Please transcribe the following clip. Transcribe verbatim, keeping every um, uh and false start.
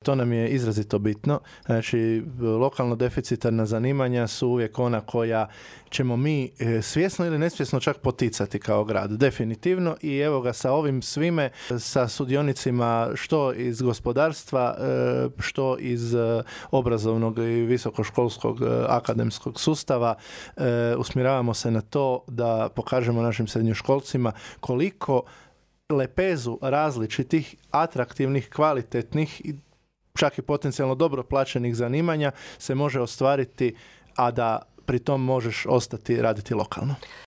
To nam je izrazito bitno. Znači, lokalno deficitarna zanimanja su uvijek ona koja ćemo mi svjesno ili nesvjesno čak poticati kao grad. Definitivno. I evo ga sa ovim svime, sa sudionicima što iz gospodarstva, što iz obrazovnog i visokoškolskog akademskog sustava, usmjeravamo se na to da pokažemo našim srednjoškolcima koliko lepezu različitih, atraktivnih, kvalitetnih i čak i potencijalno dobro plaćenih zanimanja se može ostvariti, a da pri tom možeš ostati raditi lokalno.